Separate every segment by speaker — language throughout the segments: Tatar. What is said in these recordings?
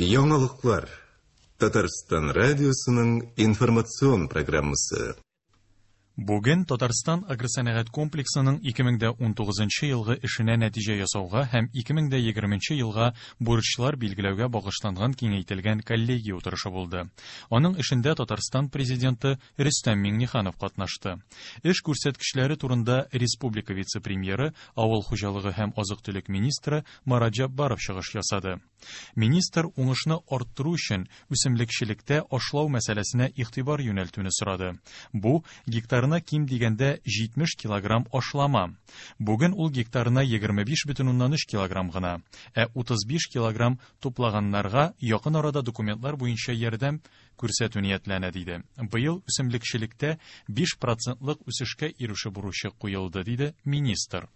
Speaker 1: Яңалыклар. Татарстан радиосының информацион программасы.
Speaker 2: Бүген Татарстан агросәнәгать комплексының 2019 елгы эшенә нәтиҗә ясауга һәм 2020 елга бурычлар билгеләүгә багышланган киңәйтелгән коллегия утырышы булды. Аның эшендә Татарстан Президенты Рөстәм Миңнеханов катнашты. Эш күрсәткечләре турында республика вице-премьеры, авыл хуҗалыгы һәм азык-төлек министры Марат Җәббаров чыгыш ясады. Министр уңышны арттыру өчен үсемлекчелектә ашлау мәсьәләсенә игътибар юнәлтүне сорады. Бу, гектарына ким дигәндә 70 килограмм ашлама. Бүген ул гектарына 25,3 килограмм гына, ә 35 килограмм туплаганнарга якын арада документлар буенча ярдәм күрсәтү ниятләнә, диде. Быел үсемлекчелектә 5 процентлык үсешкә ирешү бурычы куелды, диде министр.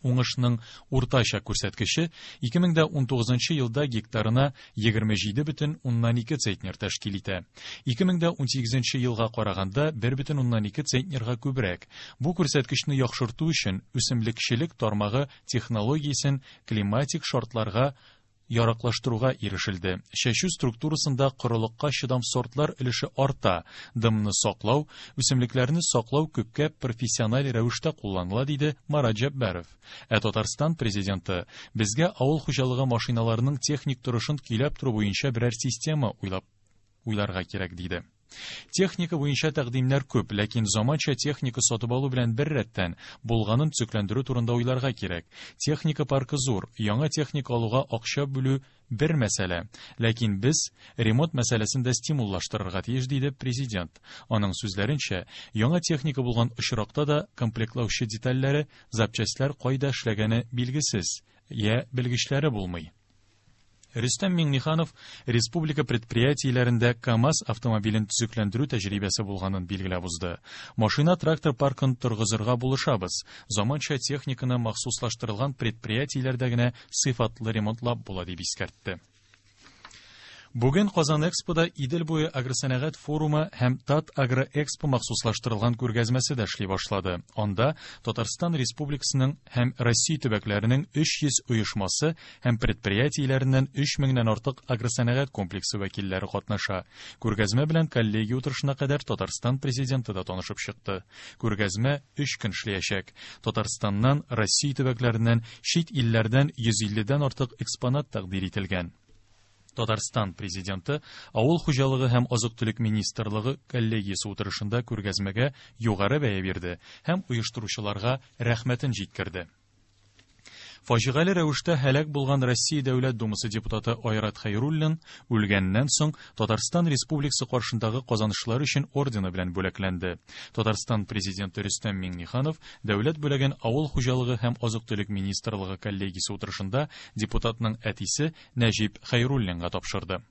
Speaker 2: Уңышның уртача күрсәткече 2019 елда гектарына 27,2 центнер тәшкил итә. 2018 елга караганда 1,2 центнерга күбрәк. Бу күрсәткечне яхшырту өчен үсемлекчелек тармагы технологиясен климатик шартларга яраклаштыруга ирешелде. Чәчү структурасында корылыкка чыдам сортлар өлеше арта, дымны саклау, үсемлекләрне саклау күпкә профессиональ рәвештә кулланыла, диде Марат Җәббаров. Ә Татарстан президенты безгә авыл хуҗалыгы машиналарының техник торышын көйләп тору буенча берәр система уйлап уйларга кирәк, диде. Техника буенча тәкъдимнәр күп, ләкин заманча техника сатып алу белән бер рәттән булганын төзекләндерү турында уйларга кирәк. Техника паркы зур, яңа техника алуга акча бүлү бер мәсьәлә, ләкин без ремонт мәсьәләсен дә стимуллаштырырга тиеш, диде президент. Аның сүзләренчә, яңа техника булган очракта да комплектлаучы детальләре, запчастьләр кайда эшләгәне билгесез, я белгечләре булмый. Рөстәм Миңнеханов республика предприятиеләрендә КАМАЗ автомобилен төзекләндерү тәҗрибәсе булганын билгеләп узды. Машина-трактор паркын торгызырга булышабыз. Заманча техниканы махсуслаштырылган предприятиеләрдә генә сыйфатлы ремонтлап була, дип искәртте. Бүген Казан Экспода Идел буе агросәнәгать форумы һәм Тат Агроэкспо махсуслаштырылган күргәзмәсе дә эшли башлады. Анда Татарстан Республикасының һәм Россия төбәкләренең 300 оешмасы һәм предприятиеләреннән 3 меңнән артык агросәнәгать комплексы вәкилләре катнаша. Күргәзмә белән коллегия утырышына кадәр Татарстан президенты да танышып чыкты. Күргәзмә 3 көн эшләячәк. Татарстаннан, Россия төбәкләреннән, чит илләрдән 150 дән артык экспонат тәкъдир ителгән. Татарстан президенты Авыл хуҗалыгы һәм азык-төлек министрлыгы коллегиясе утырышында күргәзмәгә югары бәя бирде һәм оештыручыларга рәхмәтен җиткерде. Фаҗигале рәвештә һәлак булган Россия Дәүләт Думасы депутаты Айрат Хәйруллин үлгәннән соң Татарстан Республикасы каршындагы казанышлар өчен ордены белән бүләкләнде. Татарстан президенты Рөстәм Миңнеханов дәүләт бүләген Авыл хуҗалыгы һәм азык-төлек министрлыгы коллегиясе утырышында депутатның әтисе Нәҗип Хәйруллинга тапшырды.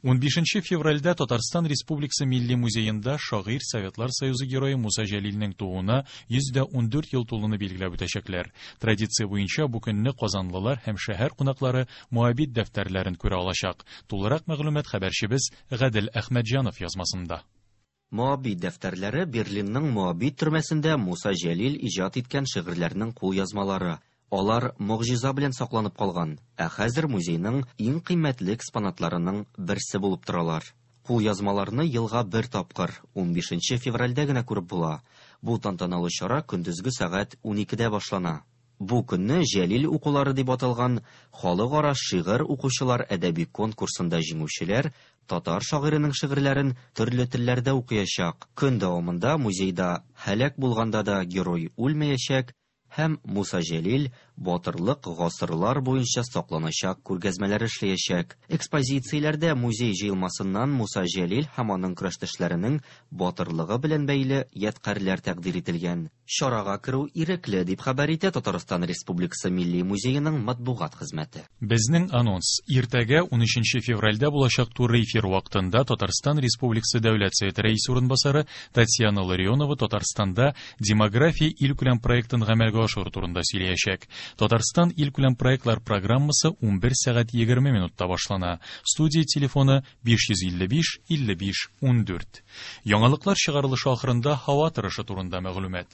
Speaker 2: 15 февральдә Татарстан Республикасы Милли музеенда шагыйрь Советлар Союзы герое Муса Җәлилнең тууына 114 ел тулуны билгеләп үтәчәкләр. Традиция буенча бу көнне казанлылар һәм шәһәр кунаклары Моабит дәфтәрләрен күрә алачак. Тулырак мәгълүмат хәбәрчебез Гадел Әхмәтҗанов язмасында.
Speaker 3: Моабит дәфтәрләре Берлинның Моабит төрмәсендә Муса Җәлил иҗат иткән шигырьләрнең кулъязмалары. Алар могҗиза белән сакланып калган, ә хәзер музейның иң кыйммәтле экспонатларының берсе булып торалар. Кулъязмаларны елга бер тапкыр, 15 февральдә генә күреп була. Бу тантаналы чара көндезге сәгать 12-дә башлана. Бу көнне Җәлил укулары дип аталган халыкара шигырь укучылар әдәби конкурсында җиңүчеләр татар шагыйренең шигырьләрен төрле телләрдә укыячак. Көн дәвамында музейда Һәлак булганда да герой үлмәячәк һәм Муса Җәлил батырлык гасырлар буенча сакланачак күргәзмәләр эшләячәк. Экспозицияләрдә музей җыелмасыннан Муса Җәлил һәм аның көрәштәшләренең батырлыгы белән бәйле ядкарьләр тәкъдир ителгән. Чарага керү ирекле, дип хәбәр итә Татарстан Республикасы Милли музееның матбугат хезмәте.
Speaker 2: Безнең анонс. Иртәгә 13 февральдә булачак туры эфир вакытында Татарстан Республикасы Дәүләт Советы рәисе урынбасары Татьяна Ларионова Татарстанда демография илкүләм проектын гамәлгә ашыру турында сөйләячәк. Татарстан илкүләм проектлар программасы 11 сәгать 20 минутта башлана. Студия телефоны 555 55 14. Яңалыклар чыгарылышы ахырында һава торышы турында мәгълүмат.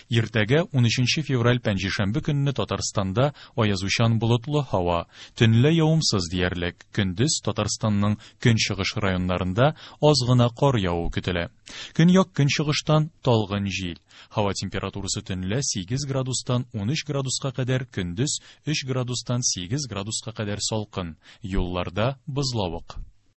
Speaker 2: Иртәгә 13 февраль пәнҗешәмбе көнне Татарстанда аязучан болытлы һава, төнлә явымсыз диярлек. Көндез Татарстанның көнчыгыш районнарында аз гына кар явуы көтелә. Көньяк көнчыгыштан талгын җил. Һава температурасы төнлә 8 градустан 13 градуска кадәр, көндез 3 градустан 8 градуска кадәр салкын. Юлларда бозлавык.